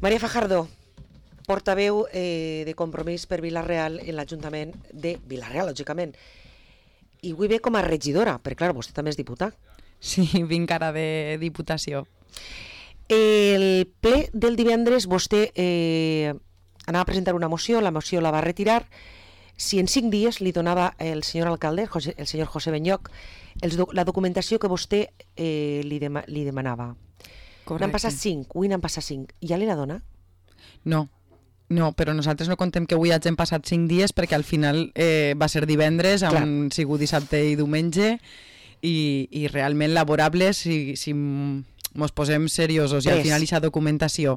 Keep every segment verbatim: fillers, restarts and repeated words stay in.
Maria Fajardo, portaveu eh, de Compromís per Vila-real en l'Ajuntament de Vila-real, lògicament. I avui ve com a regidora, perquè clar, vostè també és diputat. Sí, vinc ara de Diputació. El ple del divendres vostè eh, anava a presentar una moció, la moció la va retirar. Si en cinc dies li donava el senyor alcalde, el senyor José Benyoc, els, la documentació que vostè eh, li, dema, li demanava. Correcte. N'han passat cinc, avui n'han passat cinc. Ja li la dona? No, no, però nosaltres no contem que avui hagin passat cinc dies perquè al final eh, va ser divendres, han sigut dissabte i diumenge i, i realment laborables si... si mos posem seriosos i al final aquesta documentació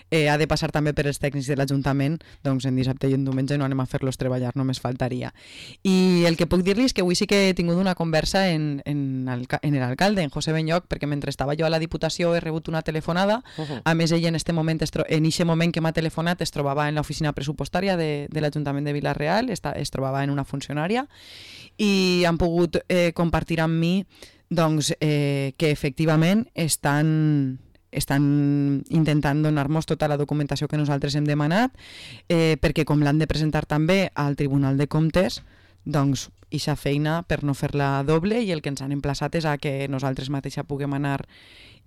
eh, ha de passar també per els tècnics de l'Ajuntament, doncs en dissabte i en diumenge no anem a fer-los treballar, només faltaria. I el que puc dir-li és que avui sí que he tingut una conversa en, en, el, en l'alcalde, en José Benyoc, perquè mentre estava jo a la Diputació he rebut una telefonada, uh-huh. A més ell en este moment, en aquest moment que m'ha telefonat es trobava en l'oficina pressupostària de, de l'Ajuntament de Vila-real, es, es trobava en una funcionària i han pogut eh, compartir amb mi doncs eh, que efectivament estan, estan intentant donar-nos tota la documentació que nosaltres hem demanat eh, perquè com l'han de presentar també al Tribunal de Comptes, doncs ixa feina per no fer-la doble i el que ens han emplaçat és a que nosaltres mateixa puguem anar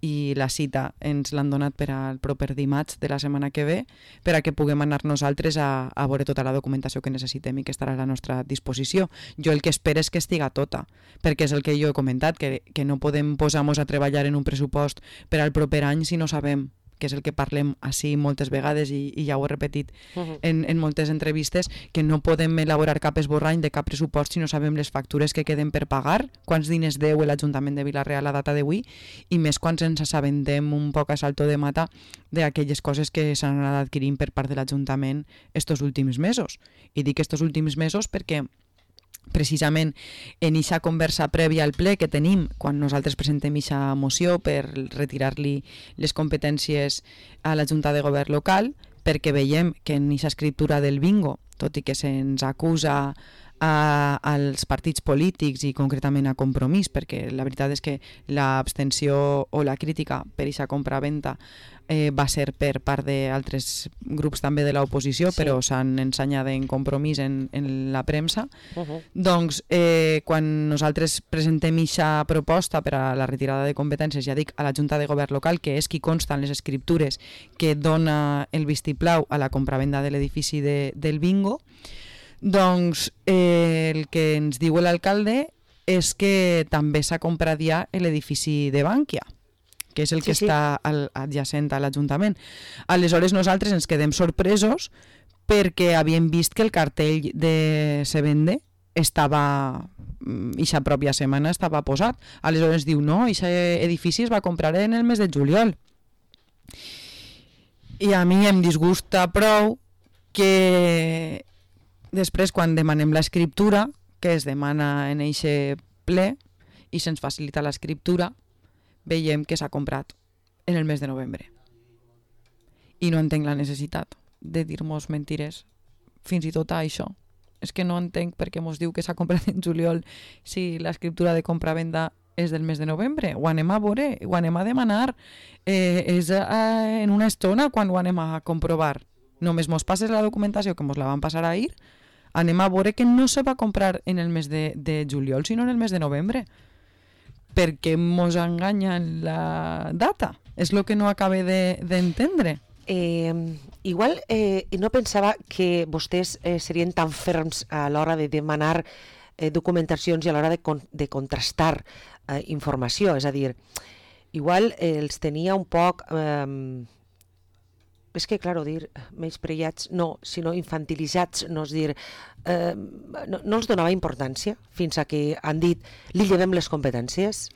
i la cita ens l'han donat per al proper dimarts de la setmana que ve per a que puguem anar nosaltres a, a veure tota la documentació que necessitem i que estarà a la nostra disposició. Jo el que espero és que estiga tota, perquè és el que jo he comentat, que, que no podem posar-nos a treballar en un pressupost per al proper any si no sabem, que és el que parlem així moltes vegades i, i ja ho he repetit uh-huh. en, en moltes entrevistes, que no podem elaborar cap esborrany de cap pressupost si no sabem les factures que queden per pagar, quants diners deu l'Ajuntament de Vila-real a data d'avui i més quan ens assabentem un poc a salto de mata d'aquelles coses que s'han anat adquirint per part de l'Ajuntament estos últims mesos. I dic estos últims mesos perquè precisament en aquesta conversa prèvia al ple que tenim quan nosaltres presentem aquesta moció per retirar-li les competències a la Junta de Govern local, perquè veiem que en aquesta escriptura del bingo, tot i que se'ns acusa a, als partits polítics i concretament a Compromís, perquè la veritat és que l'abstenció o la crítica per aquesta compra-venta eh, va ser per part d'altres grups també de l'oposició, sí. Però s'han ensenyat en Compromís en, en la premsa. Uh-huh. Doncs eh, quan nosaltres presentem aquesta proposta per a la retirada de competències, ja dic, a la Junta de Govern local, que és qui consta en les escriptures que dona el vistiplau a la compra-venda de l'edifici de, del bingo, doncs eh, el que ens diu l'alcalde és que també s'ha comprat ja l'edifici de Bànquia, que és el que sí, està al, adjacent a l'Ajuntament. Aleshores nosaltres ens quedem sorpresos perquè havíem vist que el cartell de Se Vende estava, ixa pròpia setmana estava posat. Aleshores diu, no, ixa edifici es va comprar en el mes de juliol. I a mi em disgusta prou que després, quan demanem l'escriptura, que es demana en eixe ple i se'ns facilita l'escriptura, veiem que s'ha comprat en el mes de novembre. I no entenc la necessitat de dir-nos mentires fins i tot a això. És que no entenc per què mos diu que s'ha comprat en juliol si l'escriptura de compra-venda és del mes de novembre. Ho anem a veure, ho anem a demanar. Eh, és eh, en una estona quan ho anem a comprovar. Només mos passes la documentació que mos la van passar ahir, anem a veure que no se va comprar en el mes de, de juliol, sinó en el mes de novembre. Perquè mos enganyen la data. És el que no acabe d'entendre. De, eh, igual eh, no pensava que vostès eh, serien tan ferms a l'hora de demanar eh, documentacions i a l'hora de, con de contrastar eh, informació. És a dir, igual eh, els tenia un poc... Eh, és que, clar, dir menyspreats, no, sinó infantilitzats, no és dir, eh, no, no els donava importància fins a que han dit, li llevem les competències?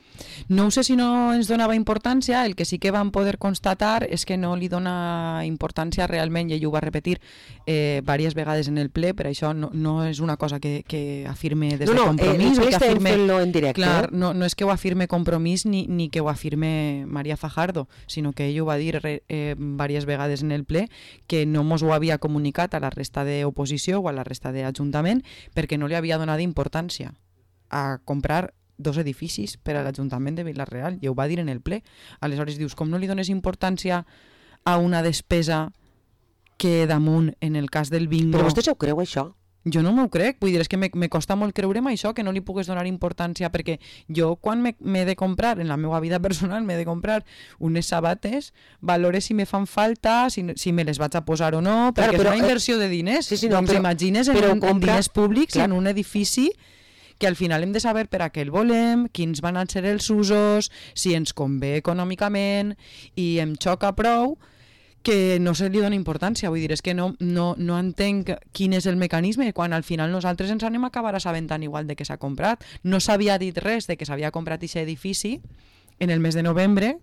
No sé si no ens donava importància, el que sí que vam poder constatar és que no li dona importància realment, i ell ho va repetir eh, diverses vegades en el ple, per això no, no és una cosa que, que afirme des no, de Compromís. No, no, eh, estem fent-lo en directe. Clar, no, no és que ho afirme Compromís ni, ni que ho afirme Maria Fajardo, sinó que ell ho va dir eh, diverses vegades en el ple, que no mos ho havia comunicat a la resta d'oposició o a la resta d'Ajuntament perquè no li havia donat importància a comprar dos edificis per a l'Ajuntament de Vila-real, i ho va dir en el ple. Aleshores dius, com no li dones importància a una despesa que damunt, en el cas del bingo... Però vostè se ho creu, això? Jo no m'ho crec, vull dir, és que me, me costa molt creure'm això, que no li pugues donar importància, perquè jo quan m'he de comprar, en la meva vida personal, m'he de comprar unes sabates, valore si me fan falta, si, si me les vaig a posar o no, perquè claro, però, és una inversió de diners. Sí, sí, no, doncs però, imagines en, però compra, en diners públics, clar, en un edifici que al final hem de saber per a què el volem, quins van a ser els usos, si ens convé econòmicament, i em xoca prou que no se li dona importància, vull dir, és que no, no, no entenc quin és el mecanisme quan al final nosaltres ens anem a acabar assabentant igual de què s'ha comprat. No s'havia dit res de que s'havia comprat aquest edifici en el mes de novembre,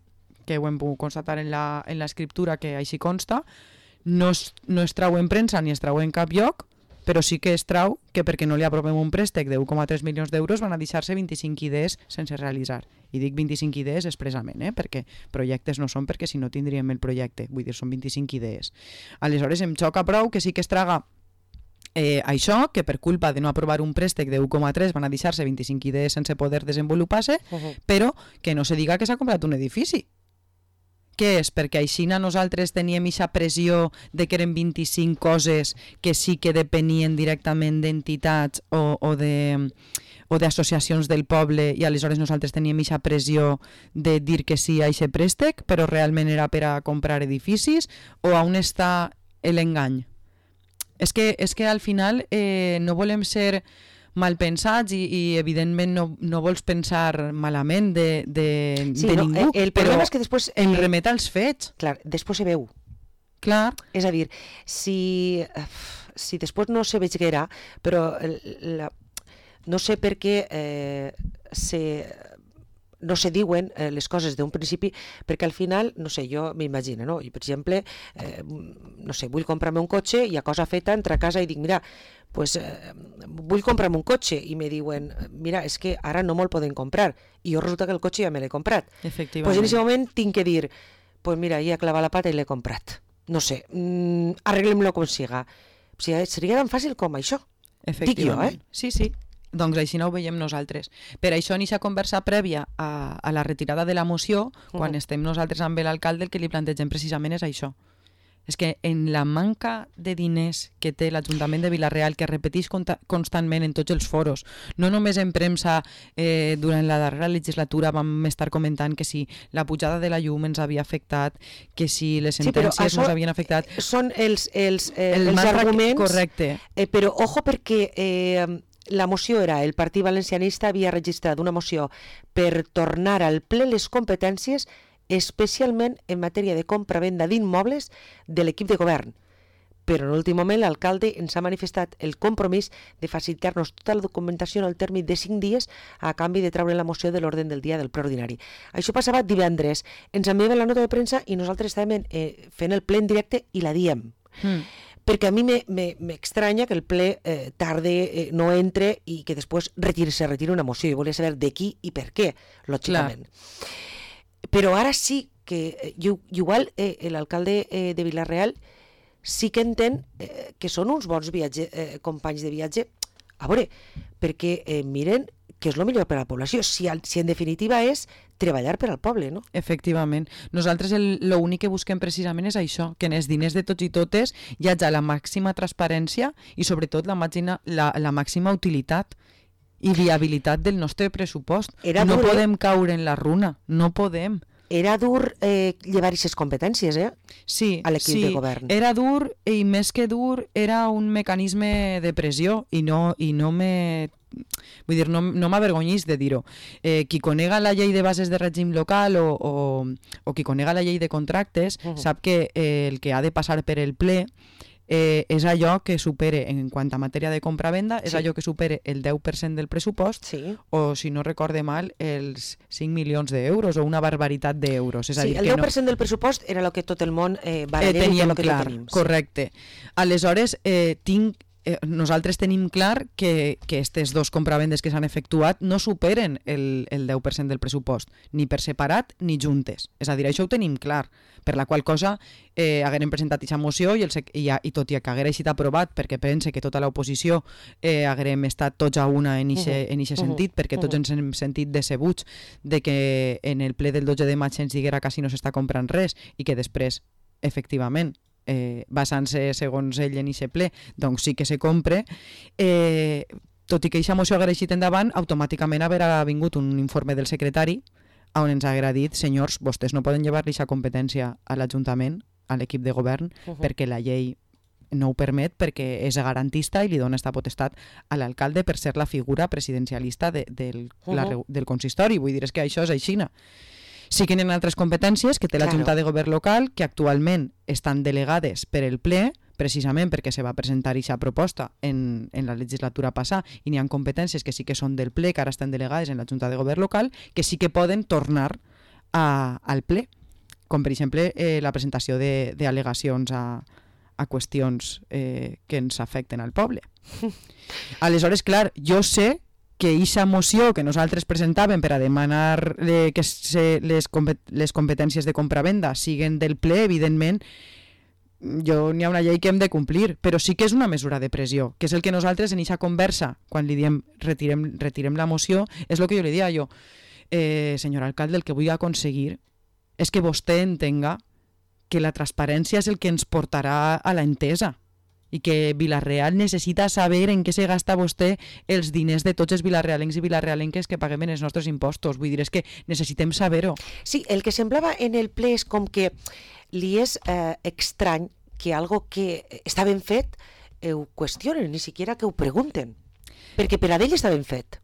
que ho hem pogut constatar en la, en l'escriptura que així consta, no es, no es trau en premsa ni es trau en cap lloc, però sí que es trau que perquè no li aprovem un préstec de u coma tres milions d'euros van a deixar-se vint-i-cinc idees sense realitzar. I dic vint-i-cinc idees expressament, eh? Perquè projectes no són, perquè si no tindríem el projecte. Vull dir, són vint-i-cinc idees. Aleshores, em xoca prou que sí que es traga eh, això, que per culpa de no aprovar un préstec de u coma tres van a deixar-se vint-i-cinc idees sense poder desenvolupar-se, uh-huh. però que no se diga que s'ha comprat un edifici. Què és? Perquè així nosaltres teníem aquesta pressió de que eren vint-i-cinc coses que sí que depenien directament d'entitats o, o de... o d'associacions del poble i aleshores nosaltres teníem aquesta pressió de dir que sí a aquest préstec, però realment era per a comprar edificis, o on està l'engany? És que, és que al final eh, no volem ser mal pensats i, i evidentment no, no vols pensar malament de, de, sí, de no, ningú, el, el però és que després, em remet als fets. Clar, després se veu. Clar. És a dir, si, si després no se veiguera, però la, no sé per què eh, se, no se diuen eh, les coses d'un principi, perquè al final, no sé, jo m'imagino, no? I per exemple, eh, no sé, vull comprar-me un cotxe i a cosa feta entro a casa i dic, mira, pues, eh, vull comprar-me un cotxe, i me diuen, mira, és que ara no me'l poden comprar, i jo resulta que el cotxe ja me l'he comprat. Efectivament. Pues en aquest moment tinc que dir, pues mira, ja he clavat la pata i l'he comprat. No sé, mm, arreglem-lo com siga. O sigui, seria tan fàcil com això. Dic jo, eh? Sí, sí. Doncs així no ho veiem nosaltres. Per això, en aquesta conversa prèvia a, a la retirada de la moció, quan uh-huh. estem nosaltres amb l'alcalde, el que li plantegem precisament és això. És que en la manca de diners que té l'Ajuntament de Vila-real, que repeteix constantment en tots els foros, no només en premsa, eh, durant la darrera legislatura vam estar comentant que si la pujada de la llum ens havia afectat, que si les sentències sí, ens havien afectat... Són els, els, eh, el els arguments... Correcte. Eh, però ojo perquè... Eh, la moció era, el Partit Valencianista havia registrat una moció per tornar al ple les competències, especialment en matèria de compra-venda d'immobles de l'equip de govern. Però en l'últim moment l'alcalde ens ha manifestat el compromís de facilitar-nos tota la documentació en el termini de cinc dies a canvi de treure la moció de l'ordre del dia del ple ordinari. Això passava divendres. Ens enviaven la nota de premsa i nosaltres estàvem eh, fent el ple en directe i la diem. Mm. Perquè a mi m'estranya que el ple eh, tarde eh, no entre i que després retire, se retire una moció. Jo volia saber de qui i per què, lògicament. Clar. Però ara sí que, igual eh, l'alcalde eh, de Vila-real sí que entén eh, que són uns bons viatge, eh, companys de viatge. A veure, perquè eh, miren que és el millor per a la població, si, si en definitiva és treballar per al poble, no? Efectivament. Nosaltres l'únic que busquem precisament és això, que en els diners de tots i totes hi hagi la màxima transparència i sobretot la màxima, la, la màxima utilitat i viabilitat del nostre pressupost. Era no dur, podem caure en la runa, no podem. Era dur eh, llevar aquestes competències, eh? Sí, a l'equip sí, de govern. Era dur i més que dur era un mecanisme de pressió i no, i no me... Vull dir, no, no m'avergonyís de dir-ho. Eh, qui conega la llei de bases de règim local o, o, o qui conega la llei de contractes uh-huh. sap que eh, el que ha de passar per el ple eh, és allò que supere, en quant a matèria de compra-venda, és sí. allò que supere el deu per cent del pressupost sí. o, si no recorde mal, els cinc milions d'euros o una barbaritat d'euros. És a sí, dir, el deu per cent no... del pressupost era el que tot el món eh, va eh, teníem que clar, tenim. Correcte. Aleshores, eh, tinc Eh, nosaltres tenim clar que, que aquestes dos compravendes que s'han efectuat no superen el, el deu per cent del pressupost, ni per separat ni juntes. És a dir, això ho tenim clar, per la qual cosa eh, haguem presentat aquesta moció i, el, i, i tot i que haguera estat aprovat perquè pense que tota l'oposició eh, haguem estat tots a una en aquest uh-huh. uh-huh. sentit, perquè tots uh-huh. ens hem sentit decebuts de que en el ple del dotze de maig ens diguera quasi no s'està comprant res i que després efectivament, eh, basant-se segons ell en aquest ple, doncs sí que se compre, eh, tot i que aquesta moció haguera eixit endavant, automàticament haurà vingut un informe del secretari on ens haguera dit, senyors, vostès no poden llevar-li aquesta competència a l'Ajuntament, a l'equip de govern, uh-huh. perquè la llei no ho permet, perquè és garantista i li dona esta potestat a l'alcalde per ser la figura presidencialista de, del, uh-huh. la, del consistori. Vull dir, és que això és aixina. Sí que hi ha altres competències que té la Junta de Govern local, que actualment estan delegades per el ple, precisament perquè se va presentar aquesta proposta en, en la legislatura passada, i n'hi ha competències que sí que són del ple, que ara estan delegades en la Junta de Govern local, que sí que poden tornar a, al ple, com per exemple eh, la presentació d'al·legacions a, a qüestions eh, que ens afecten al poble. Aleshores, clar, jo sé que aquesta moció que nosaltres presentàvem per a demanar eh, que se, les, compet les competències de compra-venda siguen del ple, evidentment, jo n'hi ha una llei que hem de complir, però sí que és una mesura de pressió, que és el que nosaltres en aquesta conversa, quan li diem retirem, retirem la moció, és el que jo li dia jo, eh, senyor alcalde, el que vull aconseguir és que vostè entenga que la transparència és el que ens portarà a la entesa, i que Vila-real necessita saber en què se gasta vostè els diners de tots els vilarealencs i vilarealenques que paguem en els nostres impostos. Vull dir, és que necessitem saber-ho. Sí, el que semblava en el ple és com que li és eh, estrany que algo que està ben fet eh, ho qüestionen, ni siquiera que ho pregunten, perquè per a ell està ben fet.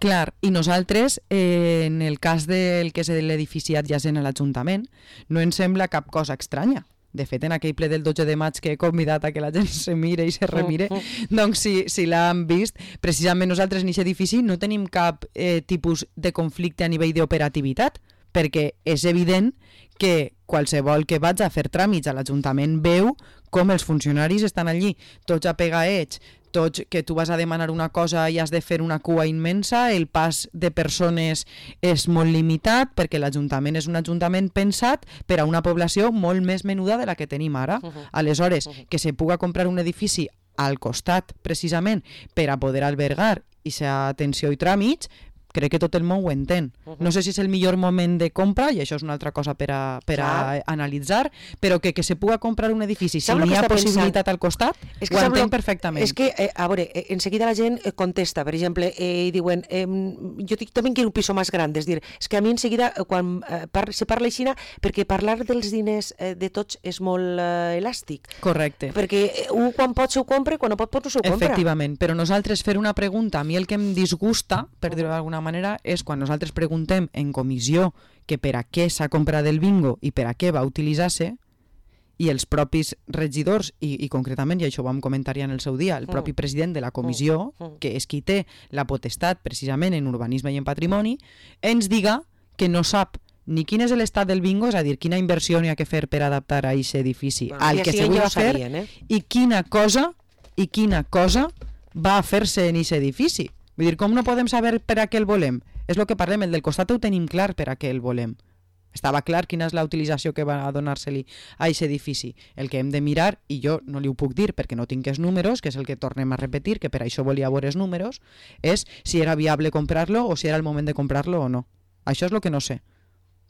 Clar, i nosaltres, eh, en el cas del que és l'edifici adjacent a l'Ajuntament, no ens sembla cap cosa estranya. De fet, en aquell ple del dotze de maig que he convidat a que la gent se mire i se remire, uh -huh. doncs si, si l'han vist, precisament nosaltres en aquest edifici no tenim cap eh, tipus de conflicte a nivell d'operativitat, perquè és evident que qualsevol que vaig a fer tràmits a l'Ajuntament veu com els funcionaris estan allí, tots apegaets, tots que tu vas a demanar una cosa i has de fer una cua immensa, el pas de persones és molt limitat perquè l'Ajuntament és un ajuntament pensat per a una població molt més menuda de la que tenim ara. Uh-huh. Aleshores, uh-huh. que se puga comprar un edifici al costat, precisament, per a poder albergar aquesta atenció i tràmits, crec que tot el món ho entén. Uh-huh. No sé si és el millor moment de compra, i això és una altra cosa per a, per a analitzar, però que, que se puga comprar un edifici si n'hi ha possibilitat pensant? Al costat, és que ho entenc perfectament. És que, eh, a veure, eh, enseguida la gent eh, contesta, per exemple, eh, i diuen, eh, jo dic, també quiero un piso més gran, és dir, és que a mi enseguida, eh, quan eh, par se parla així, perquè parlar dels diners eh, de tots és molt eh, elàstic. Correcte. Perquè eh, un quan pot s'ho compra, quan no pot, pot no s'ho compra. Efectivament, però nosaltres fer una pregunta, a mi el que em disgusta, per dir-ho d'alguna manera, és quan nosaltres preguntem en comissió que per a què s'ha comprat el bingo i per a què va utilitzar-se, i els propis regidors, i, i concretament, i això ho vam comentar ja en el seu dia, el propi president de la comissió, que és qui té la potestat precisament en urbanisme i en patrimoni, ens diga que no sap ni quin és l'estat del bingo, és a dir, quina inversió n'hi ha que fer per adaptar a aquest edifici bueno, al que se vulgui fer, sabien, eh? i quina cosa i quina cosa va a fer-se en aquest edifici. Vull dir, com no podem saber per a què el volem? És el que parlem, el del costat ho tenim clar per a què el volem. Estava clar quina és la utilització que va a donar-se-li a aquest edifici. El que hem de mirar, i jo no li ho puc dir perquè no tinc els números, que és el que tornem a repetir, que per això volia veure els números, és si era viable comprar-lo o si era el moment de comprar-lo o no. Això és el que no sé,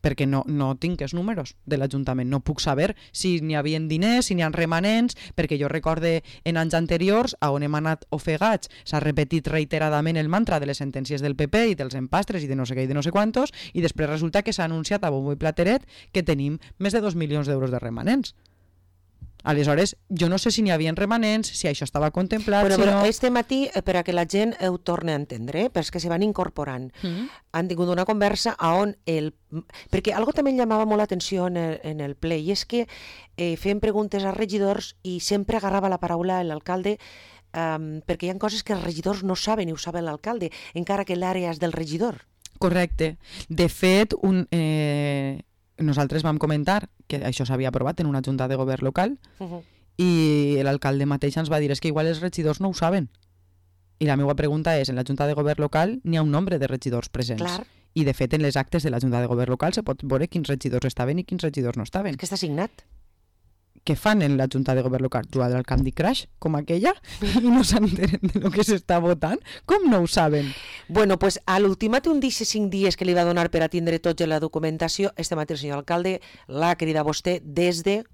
perquè no, no tinc els números de l'Ajuntament. No puc saber si n'hi havia diners, si n'hi ha remanents, perquè jo recorde en anys anteriors, a on hem anat ofegats, s'ha repetit reiteradament el mantra de les sentències del P P i dels empastres i de no sé què i de no sé quantos, i després resulta que s'ha anunciat a bombo i plateret que tenim més de dos milions d'euros de remanents. Aleshores, jo no sé si n'hi havia remanents, si això estava contemplat... Bueno, si però no... este matí, eh, per a que la gent ho torni a entendre, eh, però és que se van incorporant, mm-hmm. han tingut una conversa on el... Perquè algo també em llamava molt l'atenció en, el, en el ple, i és que eh, feien preguntes als regidors i sempre agarrava la paraula l'alcalde um, perquè hi ha coses que els regidors no saben i ho saben l'alcalde, encara que l'àrea és del regidor. Correcte. De fet, un... Eh... nosaltres vam comentar que això s'havia aprovat en una junta de govern local uh-huh. i l'alcalde mateix ens va dir és que igual els regidors no ho saben. I la meva pregunta és, en la junta de govern local n'hi ha un nombre de regidors presents. Clar. I de fet en les actes de la junta de govern local se pot veure quins regidors estaven i quins regidors no estaven. És que està signat. Què fan en la junta de govern local? Jugar al Candy Crush, com aquella, i no s'entenen de lo que s'està votant? Com no ho saben? Bueno, pues a l'ultimàtum d'aquests cinc dies que li va donar per a tindre tots la documentació, este mateix senyor alcalde l'ha cridat a vostè des de...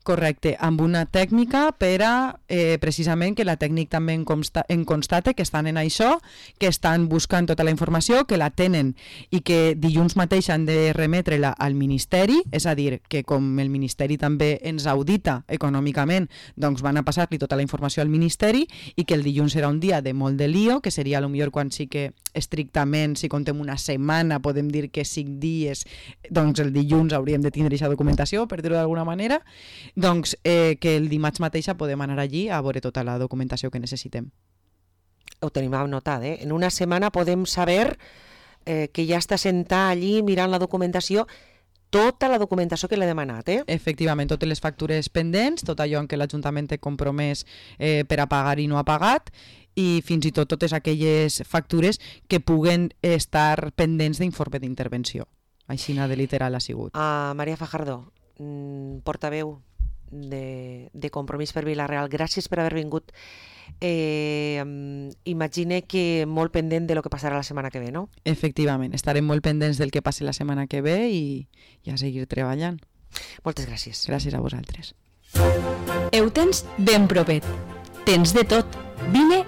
Correcte, amb una tècnica per a eh, precisament que la tècnic també en, consta, en constate que estan en això, que estan buscant tota la informació, que la tenen i que dilluns mateix han de remetre-la al Ministeri, és a dir, que com el Ministeri també ens audita econòmicament, doncs van a passar-li tota la informació al Ministeri i que el dilluns serà un dia de molt de lío, que seria potser quan sí que estrictament, si contem una setmana, podem dir que cinc dies, doncs el dilluns hauríem de tindre aquesta documentació, per dir-ho d'alguna manera, doncs eh, que el dimarts mateixa podem anar allí a veure tota la documentació que necessitem. Ho tenim anotat, eh? En una setmana podem saber eh, que ja està sentat allí mirant la documentació, tota la documentació que l'he demanat, eh? Efectivament, totes les factures pendents, tot allò en què l'Ajuntament té compromès eh, per a pagar i no ha pagat, i fins i tot totes aquelles factures que puguen estar pendents d'informe d'intervenció. Així de literal ha sigut. Uh, Maria Fajardo, portaveu de, de Compromís per Vila-real, gràcies per haver vingut. Eh, imagine que molt pendent de lo que passarà la setmana que ve, no? Efectivament, estarem molt pendents del que passi la setmana que ve i, i a seguir treballant. Moltes gràcies. Gràcies a vosaltres. Ho tens ben propet. Tens de tot. Vine